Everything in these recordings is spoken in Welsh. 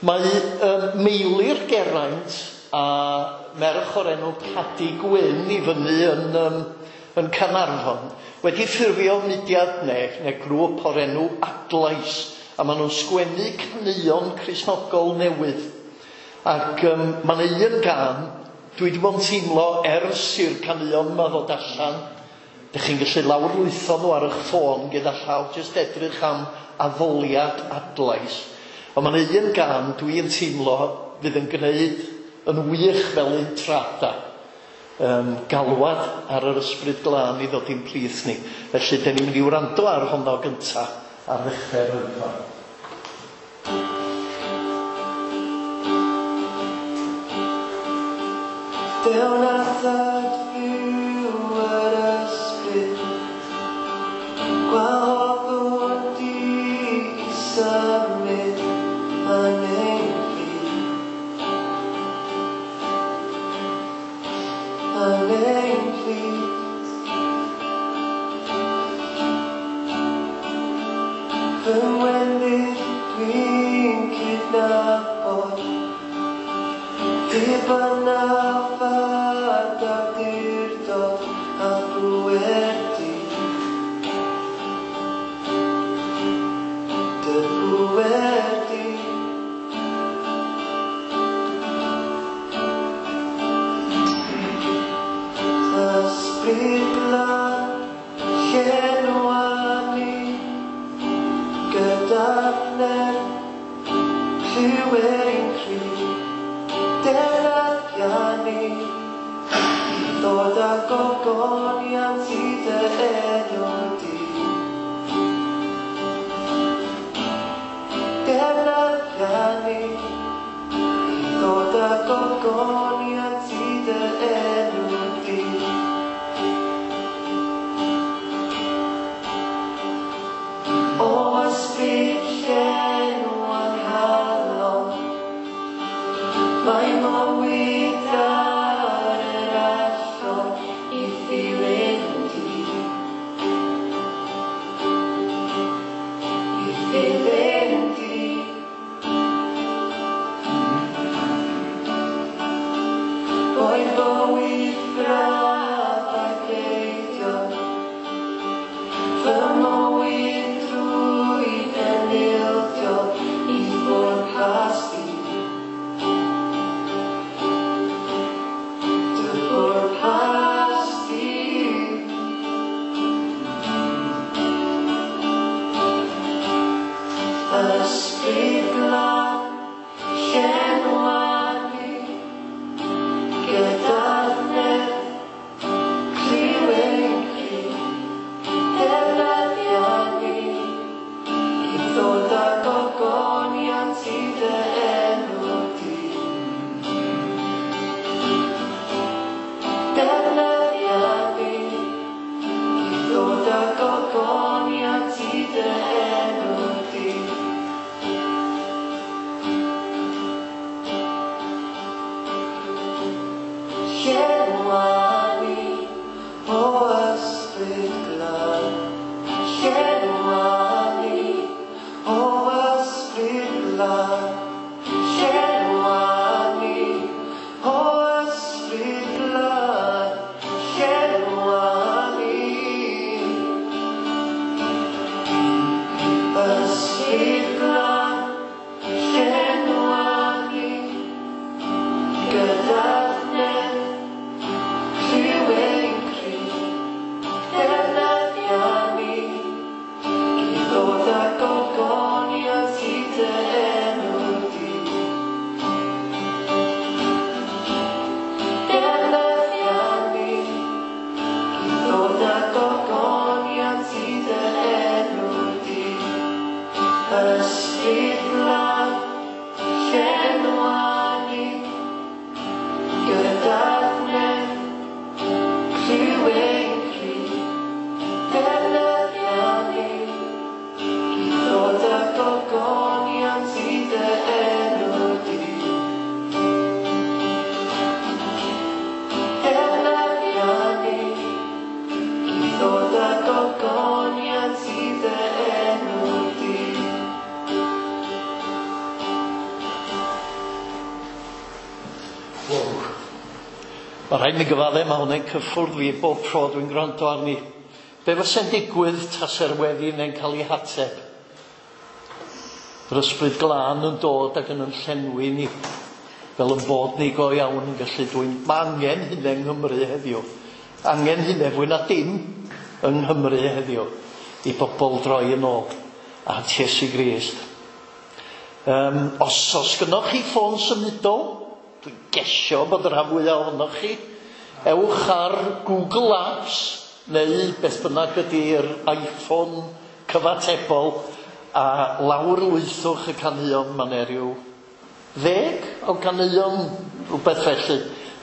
Mae Meilir Geraint a merch o'r enw Cadi Gwyn i fyny yn Caernarfon wedi ffurfio mudiad neu grŵp o'r enw Adlais, a maen nhw'n sgwennu caneuon Cristnogol newydd. Ac mae 'na un gân dwi wedi bod yn teimlo ers i'r caneuon yma ddod allan. Dych chi'n gallu lawrlwytho nhw ar eich ffôn gyda llaw, jyst edrych am addoliad Adlais. Ond mae 'na un gân dwi'n teimlo fydd yn gwneud yn wych fel intrada. Galwad ar yr Ysbryd Glân i ddod i'n plith ni. Felly, dyn ni'n mynd i wrando ar honno gynta ar ddechrau'r oedfa. Dew na thad fyw yr ysbryd, gwahoddwn di i symud yn ein plith. Yn ein plith. Fy ngwendid dwi'n cydnabod, ddibynnaf ar awdurdod a phŵer di. Dy bŵer di. Ysbryd Glân, llenwa ni gyda'r nerth, clyw ein cri, defnyddia ni, ddod â gogoniant i dy enw di. Defnyddia ni, ddod â gogoniant i dy enw di. O ysbryd llenwa nghalon, mae mywyd ar yr allor i ddilyn di. I ddilyn di. Boed bywyd braf a greidion, fy mywyd drwy enildio i bwrpas di. Dy bwrpas di. Ysbryd Glân, llenwa ni gyda'r nerth, clyw ein cri, defnyddia ni i ddod â gogoniant i dy enw di. Defnyddia ni i ddod â gogoniant i dy enw di. Llenwa ni, o Ysbryd Glân. Llenwa ni, o Ysbryd Glân. Llenwa ni, o Ysbryd Glân. Llenwa ni. Ysbryd Glân, llenwa ni gyda'r nerth, clyw ein cri, defnyddia ni i ddod â gogoniant i dy enw Wow. Mae rhaid mi gyfadde, mae hwnna'n cyffwrdd fi bob tro dwi'n gwrando arni. Be fysa'n digwydd tase'r weddi neu'n cael ei hateb? Yr ysbryd glân yn dod ac yn llenwi ni, fel yn bod ni go iawn yn gallu dwyn. Mae angen hynny yng Nghymru heddiw. Angen hynny fwy na dim yng Nghymru heddiw i bobl droi yn ôl at Iesu Grist. Os gynnoch chi ffôn symudol, dwi'n gesio bod y rhan fwyaf ohonoch chi, ewch ar Google Apps neu beth bynnag ydy'r iPhone cyfatebol a lawrlwythwch y caneuon. Mae 'na ryw 10 o ganeuon, rhywbeth felly,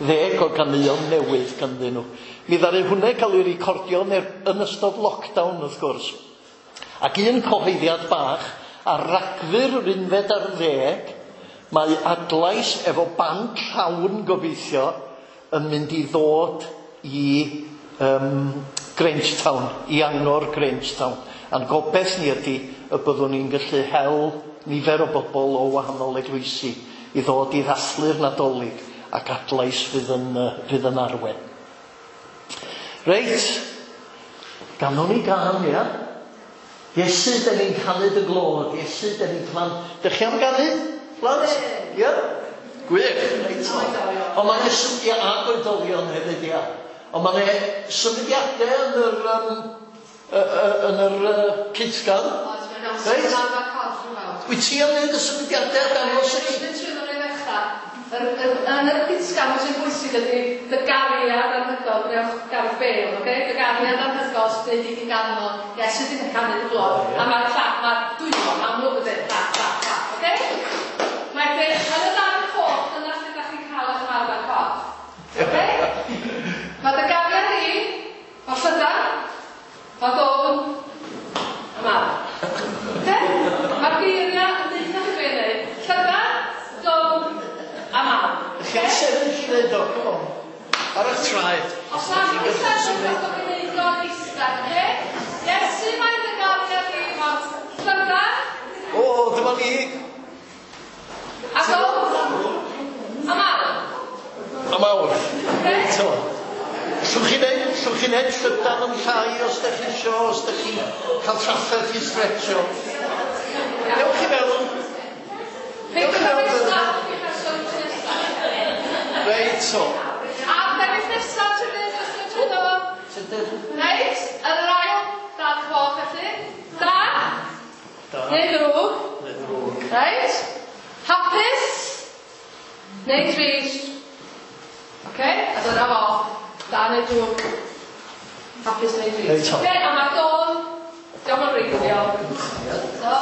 10 o ganeuon newydd ganddyn nhw. Mi ddaru hwnna cael ei recordio yn ystod lockdown, wrth gwrs. Ac un cyhoeddiad bach, ar Ragfyr yr 11, mae Adlais efo band llawn gobeithio yn mynd i ddod i Grangetown, i Angor Grangetown. A'n gobeith ni ydy y byddwn ni'n gallu hel nifer o bobl o wahanol eglwysi i ddod i ddathlu'r Nadolig, ac Adlais fydd yn arwain. Reit, ganwn ni gân, ia? Iesu, da ni'n canu dy glod. Iesu, da ni'n canu. Dych chi am ganu, plant? Ia? Gwych, reit. Ond mae'n symudiad ag oedolion hefyd, ia. Ond mae'n symudiadau yn yr cytgan. Reit? Wyt ti am wneud y symudiadau a dangos i ni? Yn yr cytgan, sy'n bwysig ydy dy gariad anhygoel, gwnewch Gareth Bale, oce? Dy gariad anhygoel sy'n dweud i ti ganmol, Iesu sy'n canu dy glod. A mae'r clap, mae'r dwylo amlwg yn dweud clap, clap, clap, oce? Mae yn y darn coch, dyna lle da chi'n cael eich marfer corff. Oce? Mae dy gariad i, mae llydan, mae dôn, a mawr. Oce? Mae'r geiriau yn dweud chi be wneud. Llydan, dôn, a mawr. Chi'n sefyll i wneud o, come on. Ar eich traed. Os na chi'n sefyll, os ydych chi'n gwneud o'n eistedd, oce? Iesu, mae dy gariad i, mae llydan. O, dyma ni. A dôn, a mawr. A mawr. Reit o. Allwch chi wneud llydan yn llai os ydych chi isio, os ydych chi'n cael trafferth i stretcho. Dewch i mewn. Dewch i mewn. Reit o. A dewch nesaf, trydydd, trydydd. Reit, yn yr ail darn coch felly. Da. Neu ddrwg. Reit. Hapus. Neu trist. Oce, a dyna fo. Da neu drwg. Hapus neu drist. Oce, a mae'r dôn, diolch yn reiddiol. So.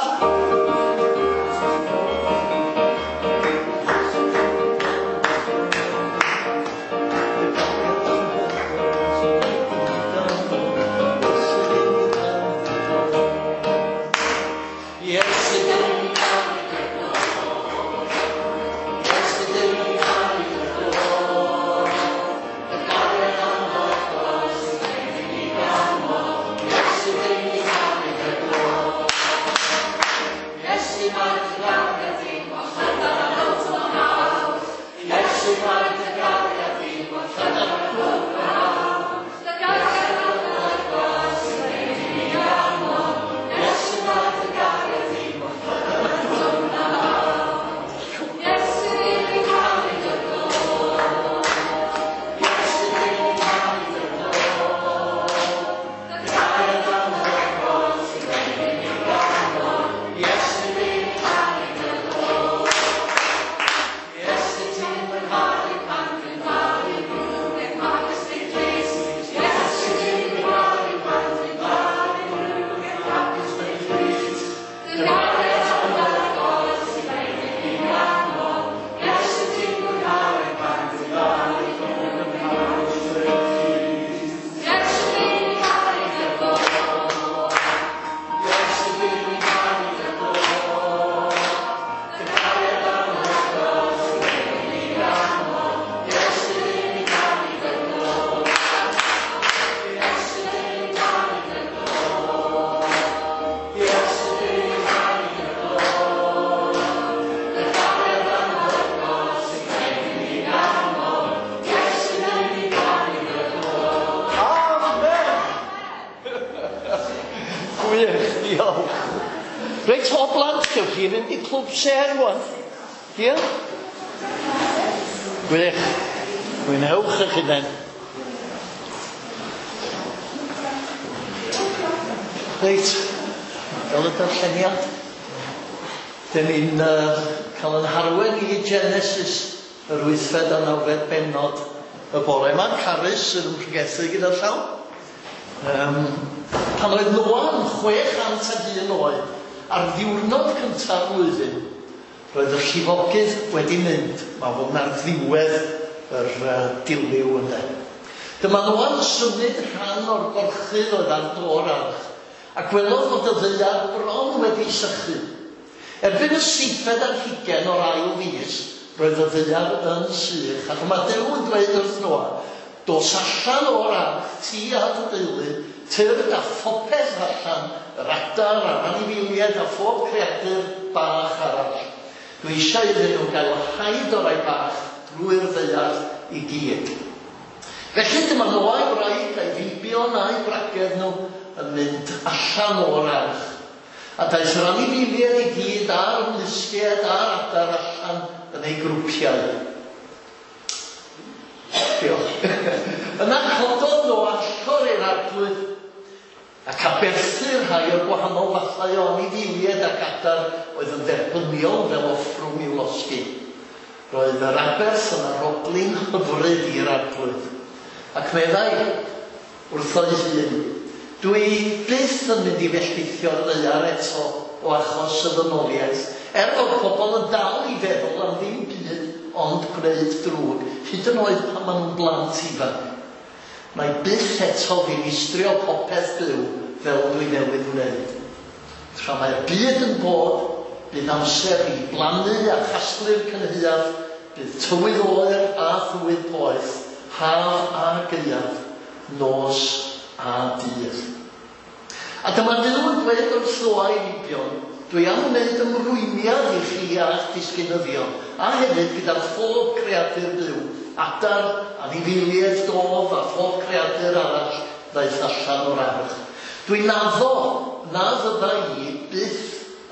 Dewch chi fynd i Clwb Sêr rwan. Ie? Gwych. Mwynhewch eich hunain. Reit, fel y darlleniad, dyn ni'n cael yn harwen i Genesis yr wythfed a nawfed bennod y bore yma. Carys sydd yn pregethu gyda'r llaw. Pan oedd Noa yn 601 oed, ar ddiwrnod cynta'r flwyddyn, roedd y llifogydd wedi mynd. Mae hwn ar ddiwedd yr dilyw ynde. Dyma Noa'n symud rhan o'r gorchudd oedd ar do'r arch, a gwelodd fod y ddaear bron wedi sychu. Erbyn y seithfed ar hugain o'r ail fis, roedd y ddaear yn sych, a dyma Duw yn dweud wrth Noa, Dos allan o'r arch, ti a dy deulu, tyrd â phopeth allan, yr adar a'r anifeiliaid a phob creadur bach arall. Dwi eisiau iddyn nhw gael haid o rai bach drwy'r ddaear i gyd. Felly dyma Noa a'i wraig a'i feibion a'u gwragedd nhw yn mynd allan o'r arch. A daeth yr anifeiliaid i gyd a'r ymlusgiaid a'r adar allan yn eu grwpiau. Diolch. Yna cododd Noa allor i'r Arglwydd, ac aberthu rhai o'r gwahanol fathau o anifeiliaid ac adar oedd yn dderbyniol fel offrwm i'w losgi. Roedd yr aberth yn arogli'n hyfryd i'r Arglwydd. Ac meddai wrtho'i hun, Dwi byth yn mynd i felltithio'r ddaear eto o achos y ddynoliaeth, er fod pobl yn dal i feddwl am ddim byd ond gwneud drwg, hyd yn oed pan maen nhw'n blant ifanc. Wna i byth eto ddinistrio popeth byw fel dwi newydd wneud. Tra mae'r byd yn bod, bydd amser i blannu a chasglu'r cynhaeaf, bydd tywydd oer a thywydd poeth, haf a gaeaf, nos a dydd. A dyma Duw yn dweud wrth Noa a'i feibion, Dwi am wneud ymrwymiad i chi a'ch disgynyddion, a hefyd gyda phob creadur byw, adar, anifeiliaid dof a phob creadur arall ddaeth allan o'r arch. Dwi'n addo na fydda i byth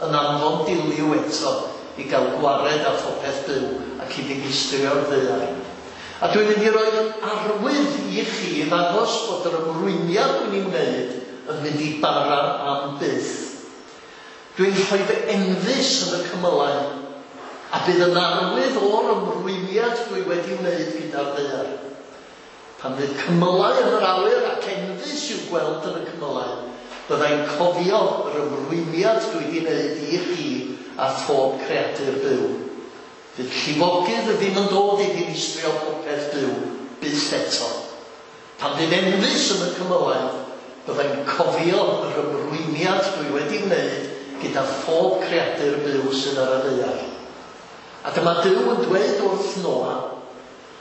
yn anfon dilyw eto i gael gwared â phopeth byw ac i ddinistrio'r ddaear. A dwi'n mynd i roi arwydd i chi i ddangos bod yr ymrwymiad dwi'n ei wneud yn mynd i bara am byth. Dwi'n rhoi fy enfys yn y cymylau, a bydd yn arwydd o'r ymrwymiad dwi wedi wneud gyda'r ddaear. Pan fydd cymylau yn yr awyr ac enfys i'w gweld yn y cymylau, byddai'n cofio yr ymrwymiad dwi wedi wneud i chi a phob creadur byw. Fydd llifogydd ddim yn dod i ddinistrio popeth byw byth eto. Pan fydd enfys yn y cymylau, byddai'n cofio yr ymrwymiad dwi wedi wneud gyda phob creadur byw sydd ar y ddaear. A dyma Duw yn dweud wrth Noa,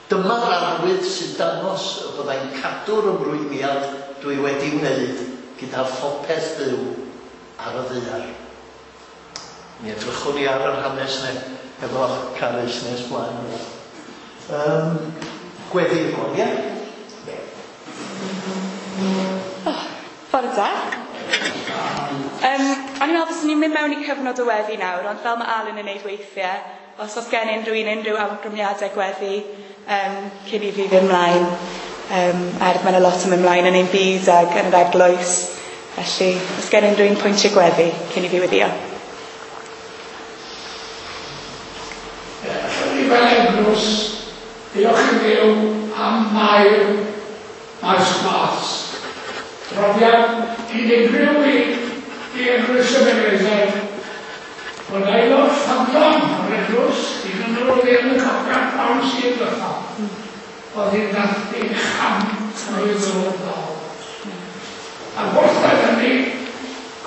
Dyma'r arwydd sy'n dangos y byddai'n cadw'r ymrwymiad dwi wedi wneud gyda phopeth byw ar y ddaear. Mi edrychwn ni ar yr hanes 'ne efo Carys nes mlaen. Gweddi rwan, ie? Oh, bore da. O'n i'n meddwl fyswn ni'n mynd mewn i cyfnod o weddi nawr, ond fel mae Alun yn neud weithiau, os oes gen unrhyw un unrhyw awgrymiadau gweddi cyn i fi fynd mlaen, er mae yna lot yn mynd mlaen yn ein byd ag yn yr eglwys, felly os gen unrhyw un pwyntiau gweddi cyn i fi weddio. Allwn ni fel eglwys diolch i Dduw am Mair Maes Glas. Profiad unigryw i i Eglwys Ebenezer bod aelod ffyddlon o'r eglwys, un yn yr oedd yn y cofiant pnawn Sul dwetha, oedd hi'n dathlu 100 mlwydd oed ddoe. Ac wrth ddweud hynny,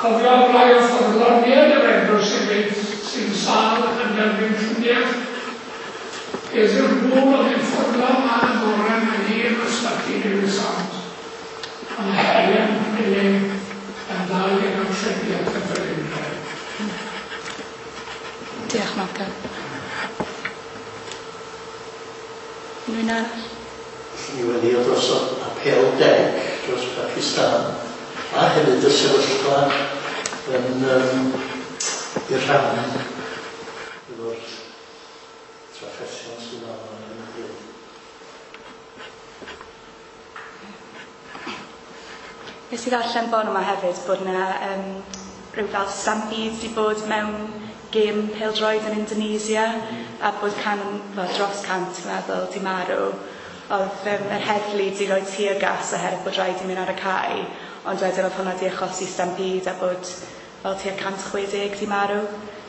cofio am rai o ffyddloniaid yr eglwys hefyd sy'n sâl ac yn derbyn triniaeth. Heddiw'r gŵr oedd hi'n ffyddlon lan y bore, mae hi yn ysbyty Dewi Sant. A mae Helen Milling yn dal i gael triniaeth yn Felindre. Diolch Malcolm. Unrhyw un arall? Ni weddio dros apêl deg dros Pakistan a hefyd y sefyllfa yn i rhannu efo'r trafferthion sydd arno ar hyn o bryd. Nes i ddarllen bore yma hefyd bod yna rhyw fel stampede 'di bod mewn gêm pêl-droed yn Indonesia a bod dros 100 dwi'n meddwl 'di marw. Oedd yr heddlu 'di rhoi tear gas oherwydd bod rhaid i mynd ar y cae, ond wedyn oedd hwnna 'di achosi stampede a bod fel tua 160 'di marw.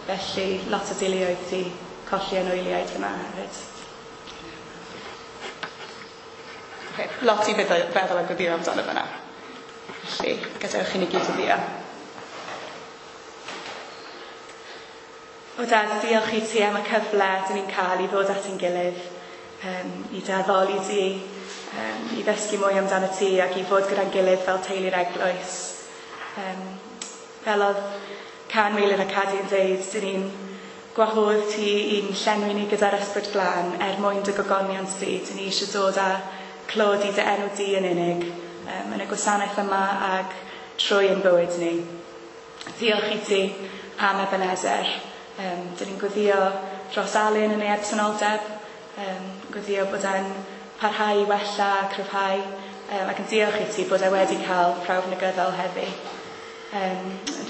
Felly lot o deuluoedd 'di colli anwyliaid fyna hefyd. Okay, lot i feddwl a gweddio amdano fyna. Felly, gadewch i ni gyd weddïo. O Dad, diolch i ti am y cyfle dyn ni'n cael i ddod at ein gilydd, i dy addoli di, i ddysgu mwy amdano ti ac i fod gyda'n gilydd fel teulu'r eglwys. Fel oedd Can, Meilir a Cadi yn dweud, dyn ni'n gwahodd ti i'n llenwi ni gyda'r Ysbryd Glân er mwyn dy gogoniant di. Dyn ni eisiau dod â clod i dy enw di yn unig yn y gwasanaeth yma ag trwy ein bywyd ni. Diolch i ti am Ebenezer. Dyn ni'n gweddio dros Alun yn ei absenoldeb, gweddio bod e'n parhau i wella a cryfhau, ac yn diolch i ti bod e wedi cael prawf negyddol heddi.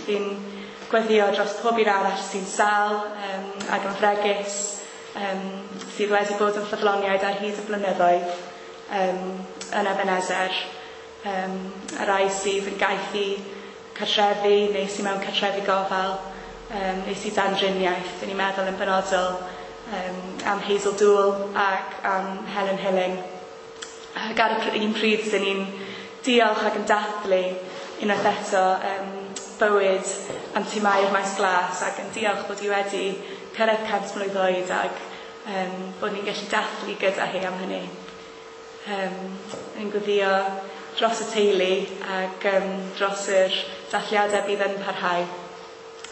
Fi'n gweddio dros pob un arall sy'n sâl ac yn fregus, sydd wedi bod yn ffyddloniaid ar hyd y blynyddoedd yn Ebenezer, y rai sydd yn gaeth i cartrefi neu sydd mewn cartrefi gofal, neu sydd dan driniaeth. Dyn ni'n meddwl yn benodol am Hazel Dool ac am Helen Hilling. Ac ar y un pryd, dyn ni'n diolch ac yn dathlu unwaith eto bywyd Anti Mair Maes Glas ac yn diolch bod hi wedi cyrraedd 100 mlwydd oed ac bod ni'n gallu dathlu gyda hi am hynny. Ni'n gweddio dros y teulu ac dros yr dathliadau bydd yn parhau.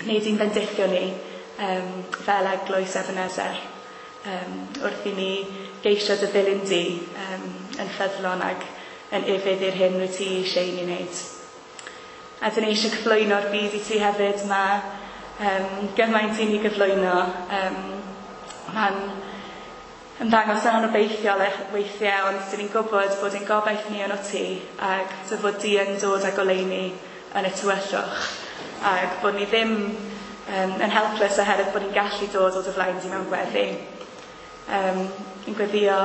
Neu di'n bendithio ni fel eglwys Ebenezer wrth i ni geisio dy ddilyn di yn ffyddlon ac yn ufudd i'r hyn wyt ti eisiau i ni wneud. A dyn ni eisiau cyflwyno'r byd i ti hefyd. Mae gymaint i ni gyflwyno. Mae'n ymddangos yn anobeithiol weithiau, ond dyn ni'n gwybod bod ein gobaith ni yn o ti ac dy fod di yn dod â goleuni yn y tywyllwch ac bod ni ddim yn helpless oherwydd bod ni'n gallu dod o dy flaen di mewn gweddi. Ni'n gweddio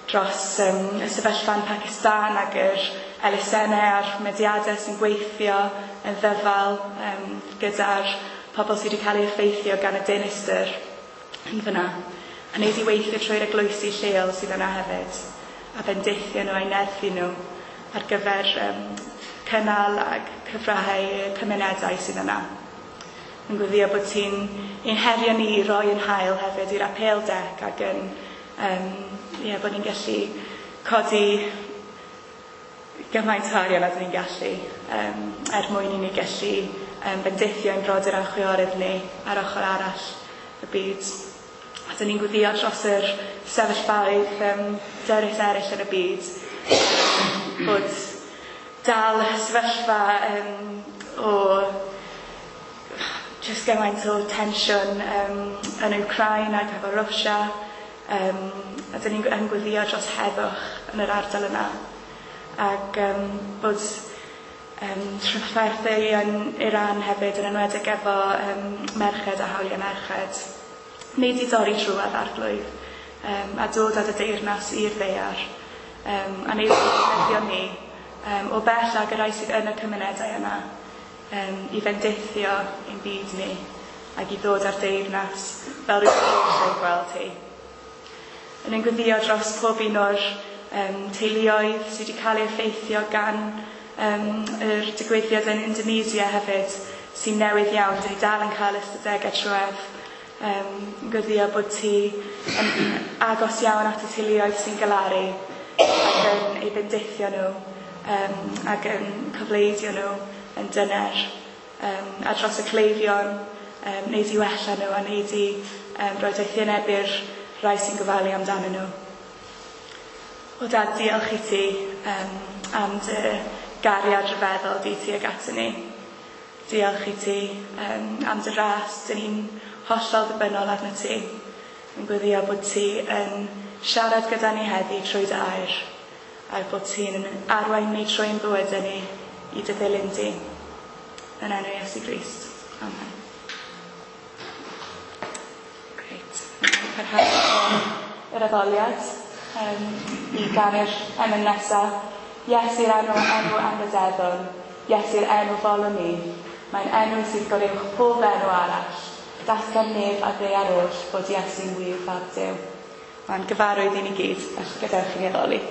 dros y sefyllfa yn Pakistan ac yr elusennau a'r mudiadau sy'n gweithio yn ddyfal gyda'r pobl sydd wedi cael eu effeithio gan y dinistr yn fyna. A wneud i weithio trwy'r eglwysi lleol sydd yna hefyd, a bendithio nhw a'i nerthu nhw ar gyfer cynnal ac cyfrahau y cymunedau sydd yna. Yn gweddio bod ti'n ein herio ni i roi yn hael hefyd i'r apêl dec ac yn bod ni'n gallu codi gymaint o arian a dyn ni'n gallu er mwyn i ni gallu bendithio ein brodyr a'n chwiorydd ni ar ochr arall y byd. A dyn ni'n gweddio dros yr sefyllfaoedd dyrys eraill yn y byd, bod dal sefyllfa o jyst gymaint o tensiwn yn Wcráin ac efo Rwsia, a dyn ni'n gweddio dros heddwch yn yr ardal yna. Ac bod trafferthu yn Iran hefyd, yn enwedig efo merched a hawliau merched. Wneud i dorri trwad Arglwydd, a dod â dy deyrnas i'r ddaear, a wneud i ddefnyddio ni o bell ag y rai sydd yn y cymunedau yna, i fendithio ein byd ni ac i ddod â'r deyrnas fel rwyt ti eisiau gweld hi. Yn ein gweddio dros pob un o'r teuluoedd sydd wedi cael eu effeithio gan yr digwyddiad yn Indonesia hefyd, sy'n newydd iawn, dyn ni dal yn cael ystadegau trwedd. Gweddio bod ti yn agos iawn at y teuluoedd sy'n galaru ac yn eu bendithio nhw ac yn cofleidio nhw yn dyner, a dros y cleifion, wneud i wella nhw a wneud i roi doethineb i'r rhai sy'n gofalu amdanyn nhw. O Dad, diolch i ti am dy gariad rhyfeddol di tuag ato ni. Diolch i ti am dy ras, dyn ni'n hollol ddibynnol arnat ti. Yn gweddio bod ti yn siarad gyda ni heddi trwy dy air, a bod ti'n arwain ni trwy'n bywydau ni i dy ddilyn di. Yn enw Iesu Grist. Amen. Grêt. Parhau yr addoliad i ganu'r emyn nesaf. Iesu'r enw, enw anrydeddwn. Iesu'r enw folwn ni. Mae'n enw sydd goruwch pob enw arall. Datgan nef a ddaear oll bod Iesu'n wir fab Duw. Mae'n gyfarwydd i ni gyd, felly gadewch i ni addoli.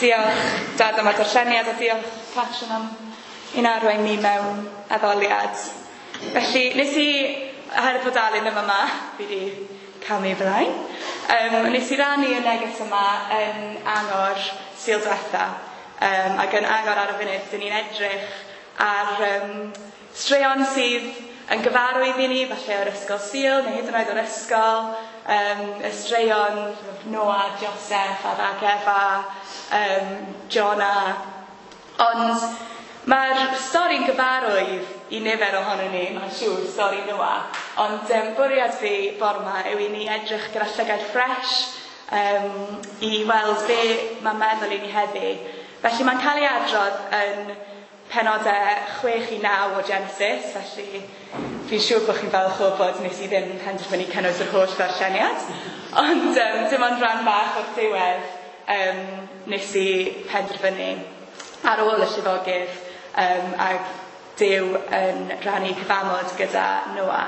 Diolch Dad am y darlleniad a diolch Catrin am ein arwain ni mewn addoliad. Felly nes i, oherwydd bod Alun ddim yma, fi wedi camu flaen, nes i rannu y neges yma yn Angor Sul diwetha, ac yn Angor ar y funud, dyn ni'n edrych ar straeon sydd yn gyfarwydd i ni, falle o'r ysgol Sul neu hyd yn oed o'r ysgol, y straeon Noah, Joseph, Adda ac Efa, Jonah. Ond mae'r stori'n gyfarwydd i nifer ohonon ni, mae'n siŵr, stori Noah. Ond bwriad fi bore 'ma yw i ni edrych gyda llygaid ffres i weld be mae'n meddwl i ni heddi. Felly mae'n cael ei adrodd yn penodau 6 i 9 o Genesis, felly Fi'n siŵr bod chi'n falch o bod nes i ddim penderfynu cynnwys yr holl ddarlleniad, ond dim ond rhan bach o'r diwedd nes i penderfynu ar ôl y llifogydd ac Duw yn rhannu cyfamod gyda Noa.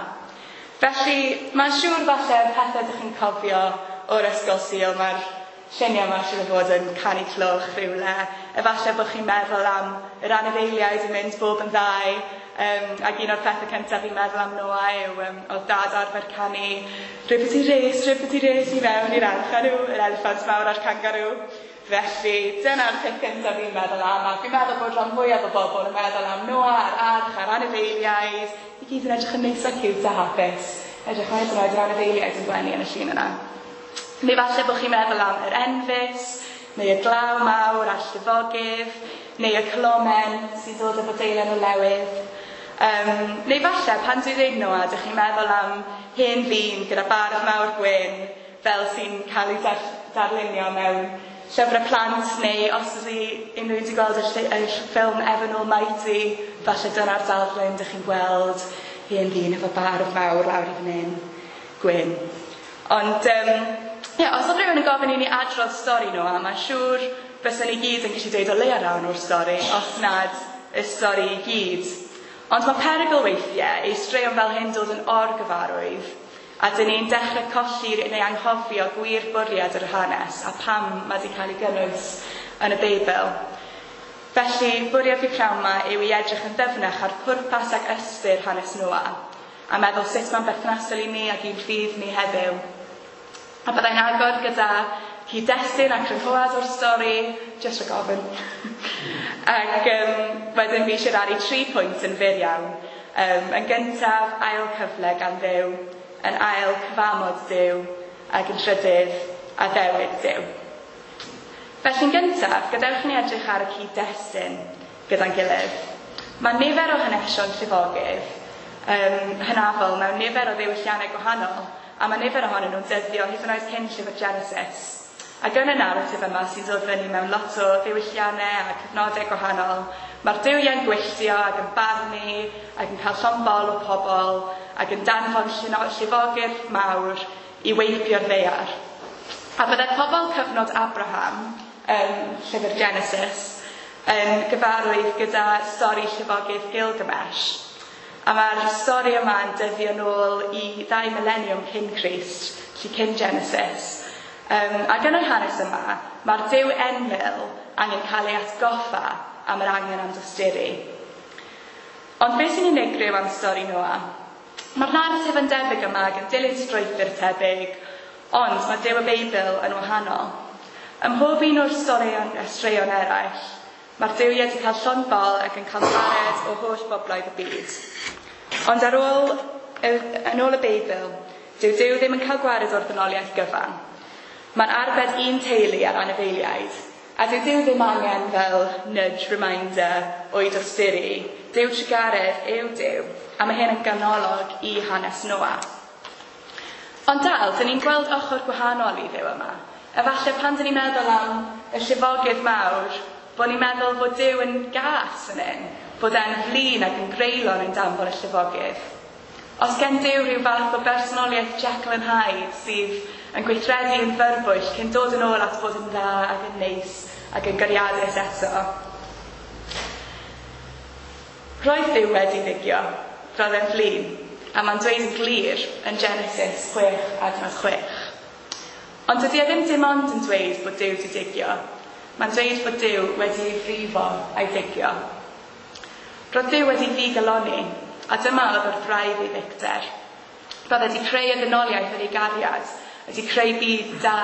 Felly, mae'n siŵr falle pethau ydych chi'n cofio o'r ysgol Sul, mae'r lluniau yma siŵr o fod yn canu cloch rhywle. Efallai bod chi'n meddwl am yr anifeiliaid yn mynd bob yn ddau, ac un o'r pethau cyntaf fi'n meddwl am Noa yw oedd dad arfer canu ribbity race, ribbity race i mewn i'r arch a nhw, yr eliffant mawr a'r kangaroo. Felly, dyna'r peth cyntaf fi'n meddwl am, a fi'n meddwl bod rhan fwyaf o bobl yn meddwl am Noa a'r arch a'r anifeiliaid, i gyd yn edrych yn neis a cute a hapus. Edrych hyd yn oed yr anifeiliaid yn gwenu yn y llun yna. Neu falle bod chi'n meddwl am yr enfys, neu y glaw mawr a'r llifogydd, neu y colomen sy'n dod efo deilen o lewydd. Neu falle, pan dwi'n dweud Noa, dych chi'n meddwl am hen ddyn gyda barf mawr gwyn, fel sy'n cael ei darlunio mewn llyfrau plant, neu os ydy unrhyw un wedi gweld y ffilm Evan Almighty, falle dyna'r darlun dych chi'n gweld hen ddyn efo barf mawr lawr i fan hyn, gwyn. Ond, os oedd rhywun yn gofyn i ni adrodd stori Noa, mae'n siŵr bysen ni gyd yn gallu dweud o leia rhan o'r stori, os nad y stori i gyd. Ond mae perygl weithiau i straeon fel hyn dod yn orgyfarwydd, a dyn ni'n dechrau colli neu anghofio gwir bwriad yr hanes a pam mae wedi cael ei gynnwys yn y Beibl. Felly, bwriad fi pnawn yma yw i edrych yn ddyfnach ar pwrpas ac ystyr hanes Noa, a meddwl sut mae'n berthnasol i ni ac i'n ffydd ni heddiw. A byddai'n agor gyda cyd-destun a crynhoad o'r stori, jyst rhag ofyn. Ac wedyn fi eisiau rannu 3 pwynt yn fyr iawn. Yn gyntaf, ail cyfle gan Dduw, yn ail cyfamod Duw, ac yn trydydd, addewid Duw. Felly'n gyntaf, gadewch i ni edrych ar y cyd-destun gyda'n gilydd. Mae nifer o hanesion llifogydd hynafol mewn nifer o ddiwylliannau gwahanol, a mae nifer ohonyn nhw'n dyddio hyd yn oed cyn llyfr Genesis. Ac yn y naratif yma sy'n dod fyny mewn lot o ddiwylliannau a cyfnodau gwahanol, mae'r duwiau'n gwylltio ac yn barnu ac yn cael llond bol o pobl ac yn danfon llifogydd mawr i weipio'r ddaear. A byddai pobl cyfnod Abraham, llyfr Genesis, yn gyfarwydd gyda stori llifogydd Gilgamesh. A mae'r stori yma yn dyddio nôl i 2 mileniwm cyn Crist, felly cyn Genesis. Ac yn yr hanes yma, mae'r Duw Enlil angen cael ei atgoffa am yr angen am dosturi. Ond beth sy'n unigryw am stori Noa? Mae'r naratif yn debyg yma ac yn dilyn strwythur tebyg, ond mae Duw y Beibl yn wahanol. Ym mhob un o'r straeon eraill, mae'r duwiau wedi cael llond bol ac yn cael gwared o holl bobloedd y byd. Ond yn ôl y Beibl, dyw Duw ddim yn cael gwared o'r ddynoliaeth gyfan. Mae'n arbed un teulu ar anifeiliaid, a dyw Duw ddim angen fel nudge reminder o'i dosturi. Duw trugaredd yw Duw, a mae hyn yn ganolog i hanes Noa. Ond dal, dyn ni'n gweld ochr gwahanol i Dduw yma. Efallai pan dyn ni'n meddwl am y llifogydd mawr, bod ni'n meddwl bod Duw yn gas yn hyn, bod e'n flin ac yn greulon yn danfon y llifogydd. Os gen Duw rhyw fath o bersonoliaeth Jekyll and Hyde sydd yn gweithredu yn fyrbwyll cyn dod yn ôl at fod yn dda ac yn neis ac yn gariadus eto. Roedd Duw wedi ddigio, roedd e'n flin, a mae'n dweud yn glir yn Genesis 6 adnod 6. Ond dydy e ddim dim ond yn dweud bod Duw wedi digio, mae'n dweud bod Duw wedi ei frifo a'i digio. Roedd Duw wedi ddigalonni, a dyma oedd wrth wraidd ei ddicter. Roedd wedi creu y ddynoliaeth yn ei gariad, wedi creu byd da,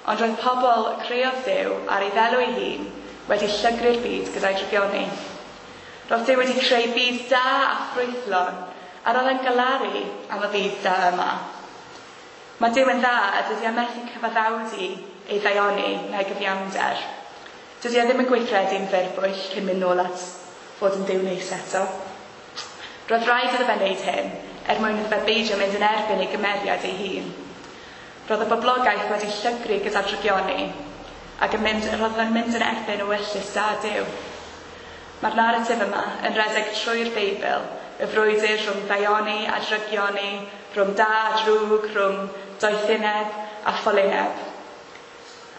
ond roedd pobl creodd Duw ar ei ddelw ei hun wedi llygru'r byd gyda'i drygioni. Roedd Duw wedi creu byd da a ffrwythlon, a roedd e'n galaru am y byd da yma. Mae Duw yn dda a dydy e methu cyfaddawdu ei ddaioni na'i gyfiawnder. Dydy e ddim yn gweithredu'n fyrbwyll cyn mynd nôl at fod yn Duw neis eto. Roedd rhaid iddo fe wneud hyn er mwyn iddo fe beidio mynd yn erbyn ei gymeriad ei hun. Roedd y boblogaeth wedi llygru gyda'r drygioni ac roedd yn mynd yn erbyn ewyllys da Duw. Mae'r naratif yma yn rhedeg trwy'r Beibl Y frwydr rhwng daioni a drygioni, rhwng da a drwg, rhwng doethineb a ffolineb.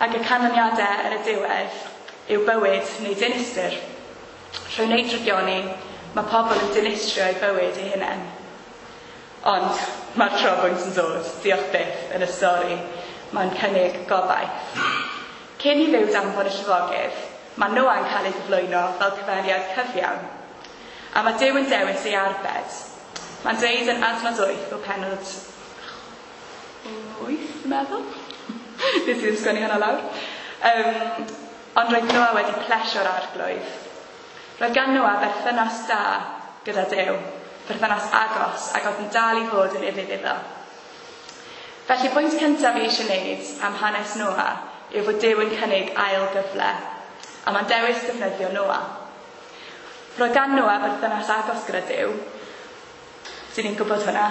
Ac y canlyniadau yn y diwedd yw bywyd neu dinistr. Trwy wneud drygioni, mae pobl yn dinistrio eu bywyd eu hunain. Ond mae'r trobwynt yn dod, diolch byth, yn y stori. Mae'n cynnig gobaith. Cyn i Dduw danfon y llifogydd, mae Noa'n cael ei gyflwyno fel cymeriad cyfiawn. A mae Duw yn dewis ei arbed. Mae'n dweud yn adnod 8 o pennod 8, dwi'n meddwl? Nes i ddim sgwennu hwnna lawr. Ond roedd Noa wedi plesio'r arglwydd. Roedd gan Noa berthynas da gyda Duw, perthynas agos, ac oedd yn dal i fod yn ufudd iddo. Felly pwynt cyntaf fi eisiau gwneud am hanes Noa yw fod Duw yn cynnig ail gyfle, a mae'n dewis defnyddio Noa. Roedd gan Noa berthynas agos gyda Duw, dyn ni'n gwybod hwnna,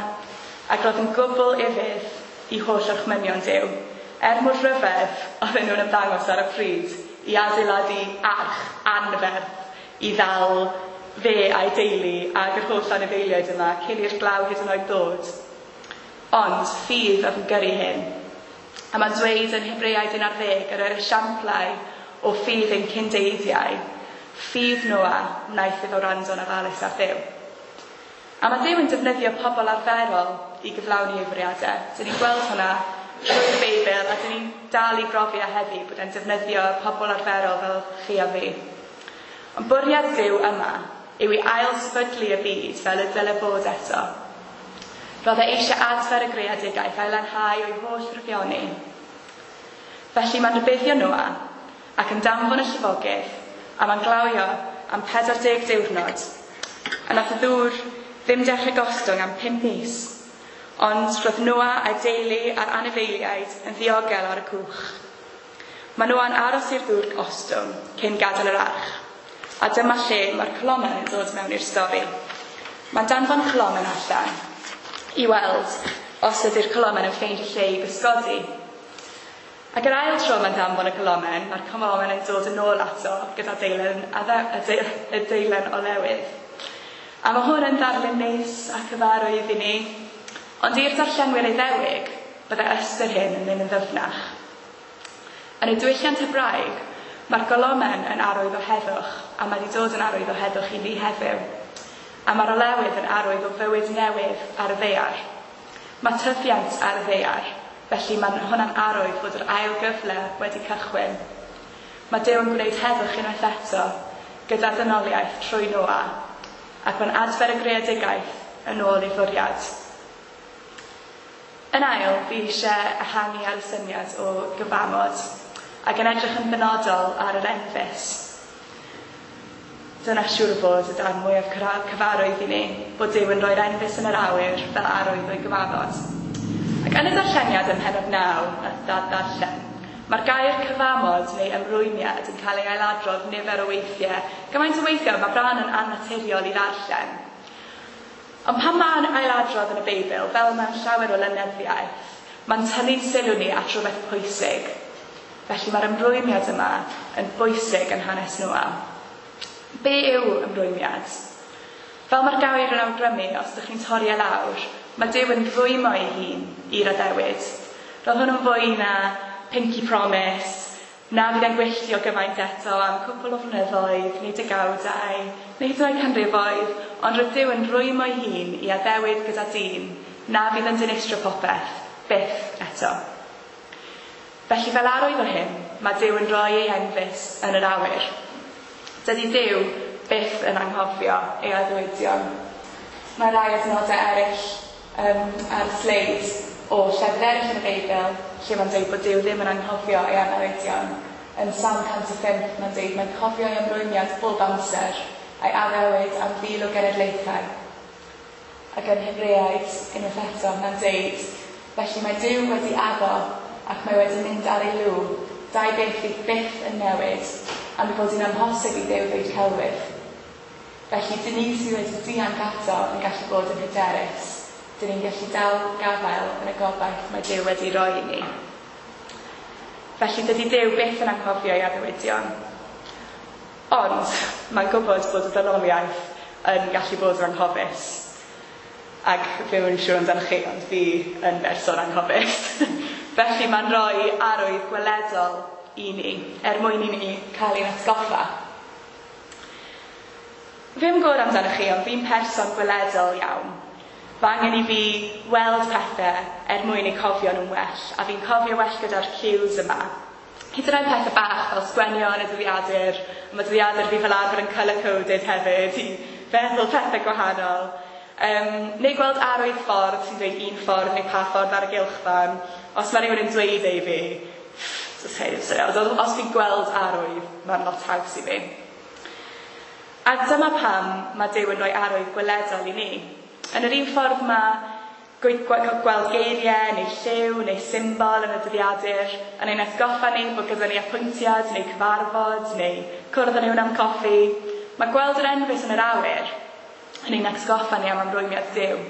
ac roedd yn gwbl ufudd i holl orchmynion Duw, er mor rhyfedd oedden nhw'n ymddangos ar y pryd i adeiladu arch anferth i ddal fe a'i deulu ag yr holl anifeiliaid yma cyn i'r glaw hyd yn oed ddod. Ond ffydd oedd yn gyrru hyn. A mae'n dweud yn Hebreaid 11 yr esiamplau o ffydd ein cyndeiddiau, ffydd Noa wnaeth iddo wrando'n ofalus ar Dduw. A mae Duw yn defnyddio pobl arferol i gyflawni ei fwriadau. Dyn ni'n gweld hwnna trwy'r Beibl a dyn ni'n dal i brofi a heddi bod e'n defnyddio pobl arferol fel chi a fi. Ond bwriad Duw yma yw i ail-sefydlu y byd fel y dyle bod eto. Roedd e eisiau adfer y greadigaeth a'i lanhau o'i holl ddrygioni. Felly mae'n rhybuddio Noa ac yn danfon y llifogydd a mae'n glawio am 40 diwrnod. A nath y ddŵr ddim dechrau gostwng am 5 mis. Ond roedd Noa a'i deulu a'r anifeiliaid yn ddiogel ar y cwch. Mae Noa'n aros i'r ddŵr ostwng cyn gadael yr arch. A dyma lle mae'r colomen yn dod mewn i'r stori. Mae'n danfon colomen allan i weld os ydy'r colomen yn ffeindio lle i gysgodi. Ac yr ail tro mae'n danfon y colomen, mae'r colomen yn dod yn ôl ato gyda deilen, y deilen olewydd. A mae hwn yn ddarlun neis a cyfarwydd i ni, ond i'r darllenwyr Iddewig, bydde ystyr hyn yn mynd yn ddyfnach. Yn y diwylliant Hebraeg, mae'r golomen yn arwydd o heddwch, a mae wedi dod yn arwydd o heddwch i ni heddiw. A mae'r olewydd yn arwydd o fywyd newydd ar y ddaear. Mae tyfiant ar y ddaear, felly mae hwnna'n arwydd fod yr ail gyfle wedi cychwyn. Mae Duw yn gwneud heddwch unwaith eto gyda dynoliaeth trwy Noa, ac mae'n adfer y greadigaeth yn ôl ei fwriad. Yn ail, fi eisiau ehangu ar y syniad o gyfamod, ac yn edrych yn benodol ar yr enfys. Dyna siŵr o fod y darn mwyaf cyfarwydd i ni, bod Duw yn rhoi'r enfys yn yr awyr fel arwydd o'i gyfamod. Ac yn y darlleniad ym mhennod 9, nath Dad ddarllen, mae'r gair cyfamod neu ymrwymiad yn cael ei ailadrodd nifer o weithiau. Gymaint o weithiau mae bron yn annaturiol i ddarllen. Ond pan mae'n ailadrodd yn y Beibl, fel mewn llawer o lenyddiaeth, mae'n tynnu sylw ni at rhywbeth pwysig. Felly mae'r ymrwymiad yma yn bwysig yn hanes Noa. Be yw ymrwymiad? Fel mae'r gair yn awgrymu, os ydych chi'n torri e lawr, mae Duw yn rwymo ei hun i'r addewid. Roedd hwn yn fwy na pinky promise, na fydd e'n gwylltio gymaint eto am cwpl o flynyddoedd, neu degawdau, neu hyd yn oed canrifoedd, ond roedd Duw yn rwymo ei hun i addewid gyda dyn, na fydd yn dinistrio popeth, byth eto. Felly fel arwydd o hyn, mae Duw yn rhoi ei enfys yn yr awyr. Dydy Duw byth yn anghofio ei addewidion. Mae rai adnodau eraill ar y sleid o llefydd eraill yn y Beibl lle mae'n dweud bod Duw ddim yn anghofio ei addewidion. Yn Salm 105 mae'n dweud mae'n cofio ei ymrwymiad bob amser a'i addewid am fil o genedlaethau. Ac yn Hebreaid, unwaith eto, mae'n dweud, felly mae Duw wedi addo ac mae wedi mynd ar ei lw, dau beth fydd byth yn newid, am ei bod hi'n amhosib i Dduw ddweud celwydd. Felly, dyn ni sydd wedi dianc ato yn gallu bod yn hyderus. Dyn ni'n gallu dal gafael yn y gobaith mae Duw wedi roi i ni. Felly, dydy Duw byth yn anghofio ei addewidion. Ond, mae'n gwybod bod y ddynoliaeth yn gallu bod yn anghofus. Ac fi ddim yn siŵr amdano chi, ond fi yn berson anghofus. Felly mae'n rhoi arwydd gweledol i ni, er mwyn i ni cael ein atgoffa. Fi ddim yn gwybod amdano chi, ond fi'n person gweledol iawn. Mae angen i fi weld pethau er mwyn eu cofio nhw'n well, a fi'n cofio well gyda'r cues yma. Hyd yn oed pethau bach fel sgwenio yn y dyddiadur, a mae dyddiadur fi fel arfer yn colour-coded hefyd i feddwl pethau gwahanol. Neu gweld arwydd ffordd sy'n dweud un ffordd neu pa ffordd ar y gylchfan. Os mae rhywun yn dweud ei fi, os fi'n gweld arwydd, mae'n lot haws i fi. A dyma pam mae Duw yn rhoi arwydd gweledol i ni. Yn yr un ffordd mae gweld geiriau neu lliw neu symbol yn y dyddiadur yn ein atgoffa ni bod gyda ni apwyntiad neu cyfarfod neu cwrdd â rhywun am coffi. Mae gweld yr enfys yn yr awyr yn ein atgoffa ni am ymrwymiad Duw.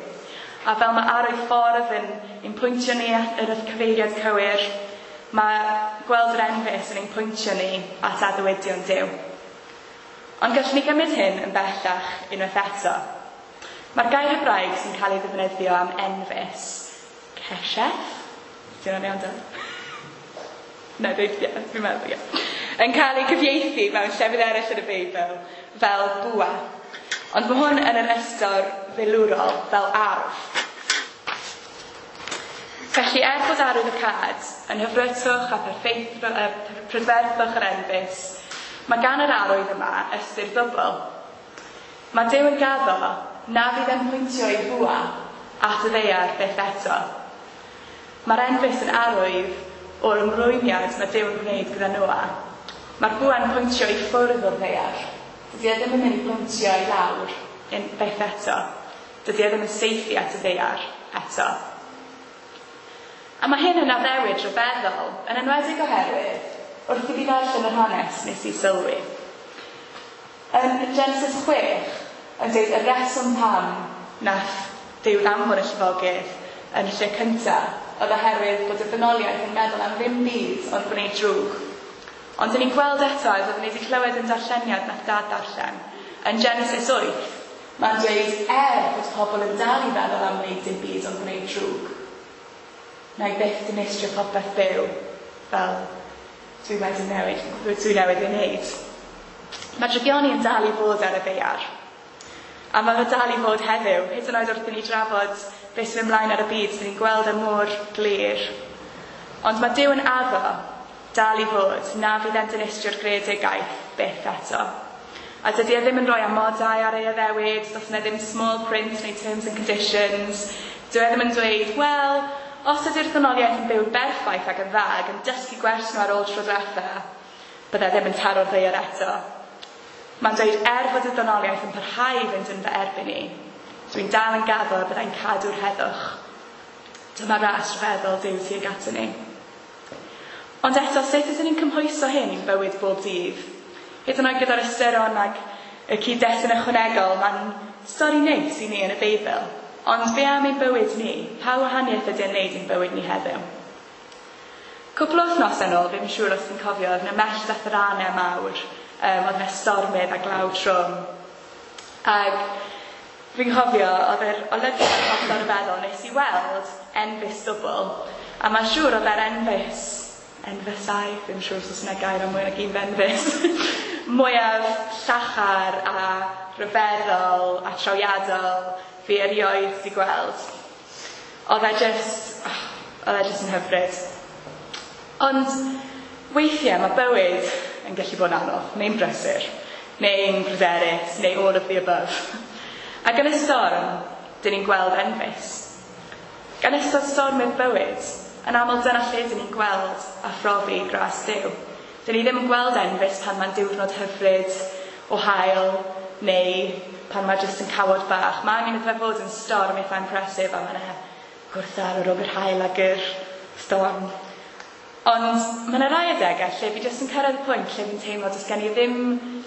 A fel mae arwydd ffordd yn ein pwyntio ni at yr cyfeiriad cywir, mae gweld yr enfys yn ein pwyntio ni at addewidion Duw. Ond gallwn ni gymryd hyn yn bellach unwaith eto. Mae'r gair Hebraeg sy'n cael ei ddefnyddio am enfys, kesheth, di hwnna'n iawn, Dad? Na, dweud, ie, fi'n meddwl, ie. Yn cael ei cyfieithu mewn llefydd eraill yn y Beibl fel bwa. Ond mae hwn yn yr ystod filwrol fel arf. Felly, er bod arwydd y cad yn hyfrytwch a prydferthwch yr enfys, mae gan yr arwydd yma ystyr ddwbl. Mae Duw yn gaddo na fydd e'n pwyntio ei bwa at y ddaear byth eto. Mae'r enfys yn arwydd o'r ymrwymiad mae Duw yn gwneud gyda Noa. Mae'r bwa'n pwyntio i ffwrdd o'r ddaear. Dydy e ddim yn mynd i pwyntio i lawr byth eto. Dydy e ddim yn saethu at y ddaear eto. A mae hyn yn addewid rhyfeddol, yn enwedig oherwydd, wrth i fi ddarllen yr hanes nes i sylwi. Yn Genesis 6, yn dweud y reswm pam nath Duw ddanfon y llifogydd yn y lle cyntaf, oedd oherwydd bod y ddynoliaeth yn meddwl am ddim byd ond gwneud drwg. Ond dyn ni'n gweld eto, as oedden ni wedi clywed yn darlleniad nath Dad darllen, yn Genesis 8, mae'n dweud er bod pobl yn dal i feddwl am wneud dim byd ond gwneud drwg, na i byth dinistrio popeth byw fel dwi wedi newid, dwi newydd ei wneud. Mae drygioni yn dal i fod ar y ddaear. A mae fe dal i fod heddiw, hyd yn oed wrth i ni drafod beth sy'n mynd ymlaen ar y byd, sy'n ni'n gweld e mor glir. Ond mae Duw yn addo dal i fod na fydd e'n dinistrio'r greadigaeth byth eto. A dydy e ddim yn rhoi amodau ar ei addewid, does yna ddim small print neu terms and conditions. Dyw e ddim yn dweud, wel, os ydy'r ddynoliaeth yn byw'n berffaith ac yn dda ac yn dysgu gwers nhw ar ôl tro diwetha, bydde ddim yn taro'r ddaear eto. Mae'n dweud, er fod y ddynoliaeth yn parhau i fynd yn fy erbyn i, dwi'n dal yn gaddo y byddai'n cadw'r heddwch. Dyma ras rhyfeddol Duw tuag ato ni. Ond eto, sut ydyn ni'n cymhwyso hyn i'n bywyd bob dydd? Hyd yn oed gyda'r ystyron ac y cyd-destun ychwanegol, mae'n stori neis i ni yn y Beibl. Ond be am ein bywyd ni? Pa wahaniaeth ydy e'n neud i'n bywyd ni heddiw? Cwpl o wythnosau nôl, fi'n siŵr os ti'n cofio, oedd yna mellt a tharanau mawr, oedd yna stormydd a glaw trwm. Ac fi'n cofio, oedd yr olygfa hollol ryfeddol, nes i weld enfys dwbl. A mae'n siŵr oedd e'r enfys, enfysau, fi'n siŵr os oes yna gair am mwy nag un enfys, mwyaf llachar a rhyfeddol a trawiadol fi erioed wedi gweld. Oedd e just, oedd e just yn hyfryd. Ond weithiau mae bywyd yn gallu bod yn anodd, neu'n brysur, neu'n pryderus, neu all of the above. Ac yn y storm, dyn ni'n gweld enfys. Gan ystod stormydd bywyd, yn aml dyna lle dyn ni'n gweld a phrofi gras Duw. Dyn ni ddim yn gweld enfys pan mae'n diwrnod hyfryd o haul, neu pan mae jyst yn cawod bach. Mae angen iddo fe fod yn storm eitha impressive a mae yna gwrthdaro rhwng yr haul ag yr storm. Ond mae yna rai adegau lle fi jyst yn cyrraedd y pwynt lle fi'n teimlo does gen i ddim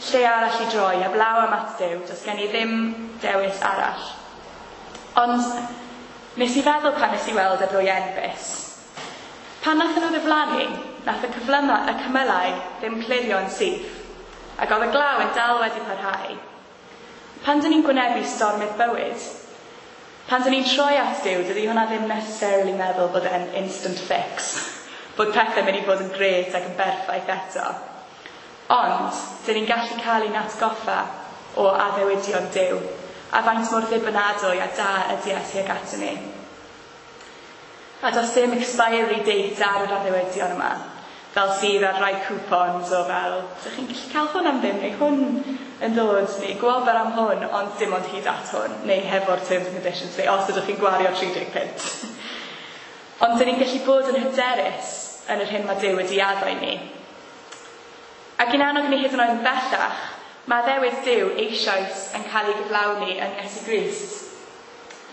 lle arall i droi, heblaw am at Duw, does gen i ddim dewis arall. Ond nes i feddwl pan nes i weld y ddwy enfys. Pan nath nhw ddiflannu, nath y cyflyma, y cymylau ddim clirio'n syth, ac oedd y glaw yn dal wedi parhau. Pan dyn ni'n gwynebu stormydd bywyd, Pan dyn ni'n troi at Duw, dydy hwnna ddim necessarily meddwl bod e'n instant fix, bod pethau'n mynd i fod yn grêt ac yn berffaith eto. Ond, dyn ni'n gallu cael ein atgoffa o addewidion Duw, a faint mor ddibynadwy a da ydy e tuag ato ni. A does dim expiry date ar yr addewidion yma, fel sydd ar rai coupons o fel, ydych chi'n gallu cael hwn am ddim, neu hwn yn dod, neu gwobr am hwn, ond dim ond hyd at hwn, neu hefo'r terms and conditions, neu os ydych chi'n gwario 30 punt. Ond dyn ni'n gallu bod yn hyderus yn yr hyn mae Duw wedi addo i ni. Ac i'n annog ni hyd yn oed yn bellach, mae addewid Duw eisoes yn cael ei gyflawni yn Iesu Grist.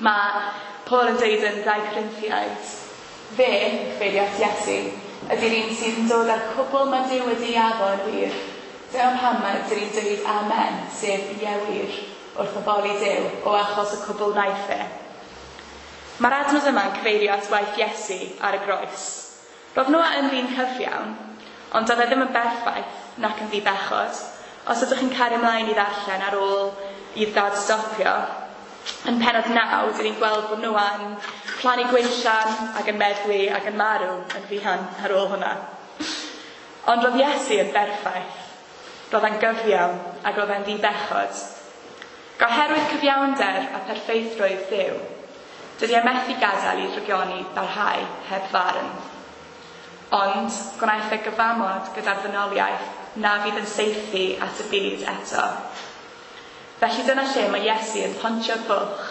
Mae Paul yn dweud yn 2 Corinthiaid, fe, cyfeirio at Iesu, ydy'r un sydd yn dod â'r cwbl mae Duw wedi addo yn wir. Dyma pam mae dyn ni'n dweud amen, sef ie wir, wrth addoli Duw, o achos y cwbl wnaeth e. Mae'r adnod yma'n cyfeirio at waith Iesu ar y groes. Roedd Noa yn ddyn cyfiawn, ond doedd e ddim yn berffaith nac yn ddibechod. Os ydych chi'n cario ymlaen i ddarllen ar ôl i'r dad stopio, yn pennod 9, dyn ni'n gweld bod Noa yn plannu gwinllan ac yn meddwi ac yn marw yn fuan ar ôl hwnna. Ond roedd Iesu yn berffaith. Roedd e'n gyfiawn ac roedd e'n ddibechod. Oherwydd cyfiawnder a pherffeithrwydd Duw, dydy e methu gadael i ddrygioni barhau heb farn. Ond gwnaeth e gyfamod gyda'r ddynoliaeth na fydd yn saethu at y byd eto. Felly dyna lle mae Iesu yn pontio'r bwlch.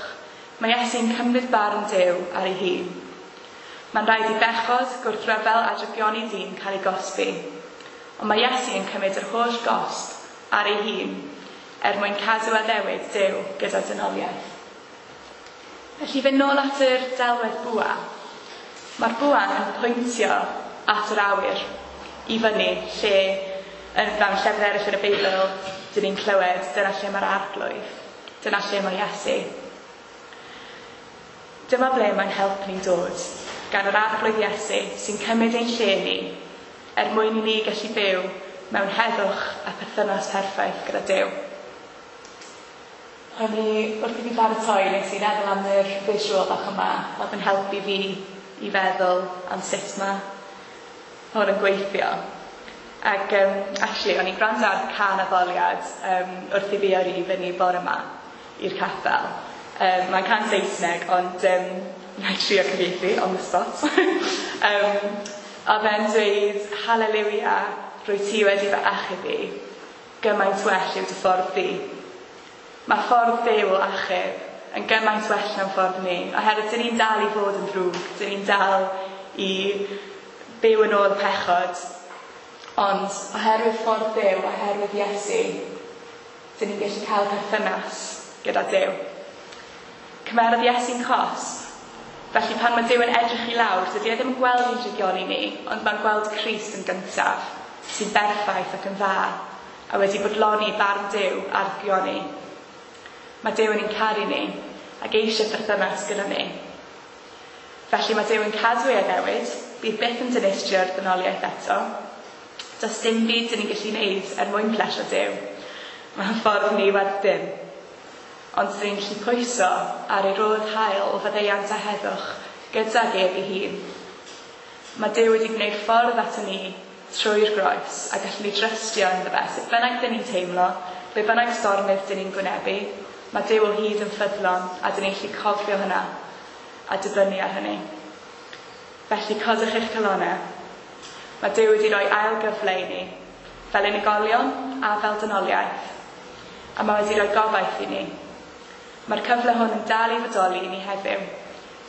Mae Iesu'n cymryd barn Duw ar ei hun. Mae'n rhaid i bechod, gwrthryfel a drygioni dyn cael ei gosbi. Ond mae Iesu yn cymryd yr holl gosb ar ei hun er mwyn cadw addewid Duw gyda dynoliaeth. Felly fynd nôl at yr delwedd bwa. Mae'r bwa yn pwyntio at yr awyr i fyny lle yn mewn llefydd eraill yn y Beibl dyn ni'n clywed dyna lle mae'r Arglwydd, dyna lle mae Iesu. Dyma ble mae'n help ni'n dod gan yr Arglwydd Iesu sy'n cymryd ein lle ni er mwyn i ni gallu byw mewn heddwch a perthynas perffaith gyda Duw. O'n i, wrth i fi baratoi, nes i feddwl am yr visual bach yma, oedd yn helpu fi i feddwl am sut mae hwn yn gweithio. Ac actually, o'n i'n gwrando ar cân addoliad wrth i fi yrru i fyny bore yma i'r capel. Mae'n cân Saesneg, ond na i trio cyfieithu on the spot. Oedd e'n dweud, hallelujah, rwy ti wedi fy achub i, gymaint well yw dy ffordd di. Mae ffordd Duw o achub yn gymaint well na'n ffordd ni, oherwydd dyn ni'n dal i fod yn ddrwg, dyn ni'n dal i byw yn ôl pechod, ond oherwydd ffordd Duw, oherwydd Iesu, dyn ni'n gallu cael perthynas gyda Duw. Cymerodd Iesu'n cosb, felly pan mae Duw yn edrych i lawr, dydy e ddim yn gweld ein drygioni ni, ond mae'n gweld Crist yn gyntaf, sy'n berffaith ac yn dda, a wedi bodloni barn Duw ar drygioni. Mae Duw yn ein caru ni, ac eisiau perthynas gyda ni. Felly mae Duw yn cadw ei addewid, bydd byth yn dinistrio'r ddynoliaeth eto. Does dim byd dyn ni'n gallu wneud er mwyn plesio Duw. Mae'n ffordd ni werth dim. Ond dyn ni'n gallu pwyso ar ei rodd hael o faddeuant a heddwch gydag ef ei hun. Mae Duw wedi gwneud ffordd ato ni trwy'r groes a gallwn ni drystio ynddo fe. Sut bynnag dyn ni'n teimlo, be bynnag stormydd dyn ni'n gwynebu, mae Duw o hyd yn ffyddlon a dyn ni'n gallu cofio hynna a dibynnu ar hynny. Felly codwch eich calonnau. Mae Duw wedi rhoi ail gyfle i ni, fel unigolion a fel dynoliaeth, a mae wedi rhoi gobaith i ni. Mae'r cyfle hwn yn dal i fodoli i ni heddiw.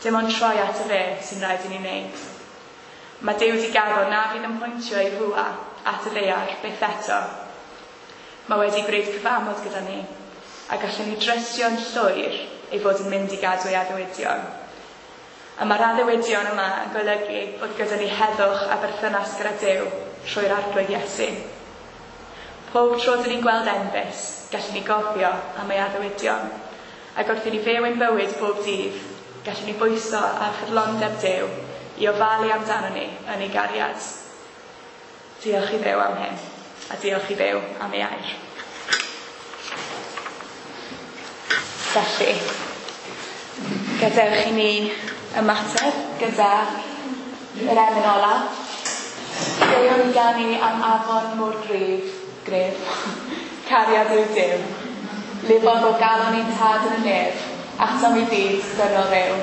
Dim ond troi at y fe sy'n rhaid i ni wneud. Mae Duw wedi gaddo na fydd yn pwyntio ei fwa at y ddaear byth eto. Mae wedi gwneud cyfamod gyda ni, a gallwn ni drystio'n llwyr ei fod yn mynd i gadw ei addewidion. A mae'r addewidion yma yn golygu bod gyda ni heddwch a berthynas gyda Duw trwy'r Arglwydd Iesu. Pob tro dyn ni'n gweld enfys, gallwn ni gofio am ei addewidion. Ac wrth i ni fyw ein bywyd bob dydd, gallwn ni bwyso ar ffyddlondeb Duw i ofalu amdano ni yn ei gariad. Diolch i Dduw am hyn, a diolch i Dduw am ei air. Felly, Gadewch i ni ymateb gyda yr emyn ola. Deuwn i ganu am afon mor gryf, gref, cariad yw Duw. Lifodd o galon i'n tad yn y nef, atom i byd dynol ryw.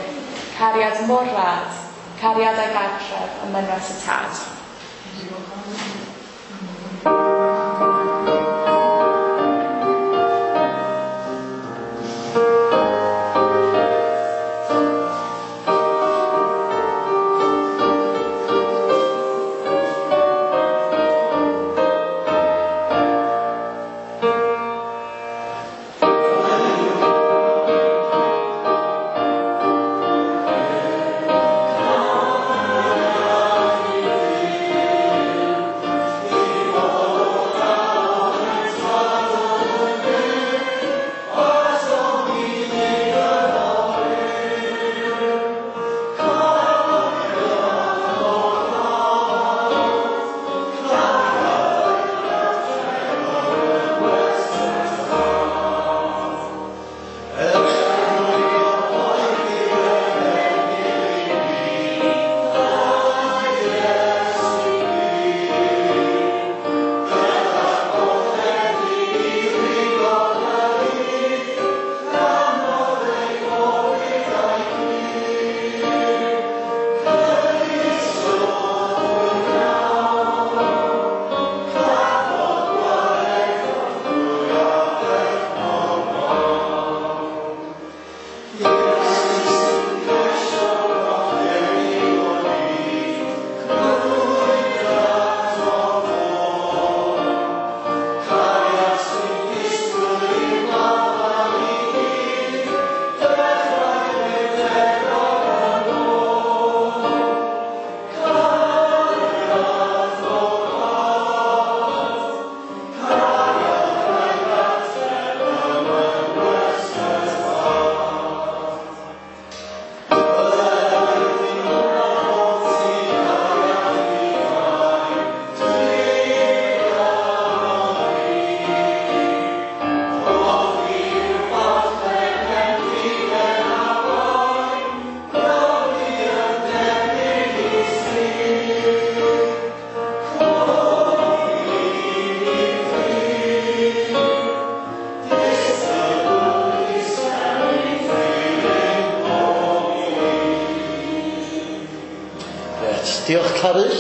Cariad mor rad, cariad a'i gartref ym mynwes y tad. Diolch, Carys.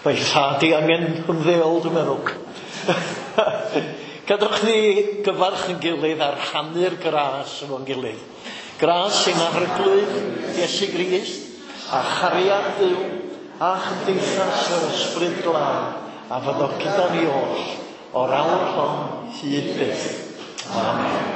Mae thad i angen ymddeol, dwi'n meddwl. Gadwch ni gyfarch yn gilydd a rhannu'r gras efo'n gilydd. Gras sy'n Arglwydd Iesu Grist a chariad Dduw a chymdeithas yr Ysbryd Glân a fyddo gyda ni oll o'r awr hon hyd byth. Amen.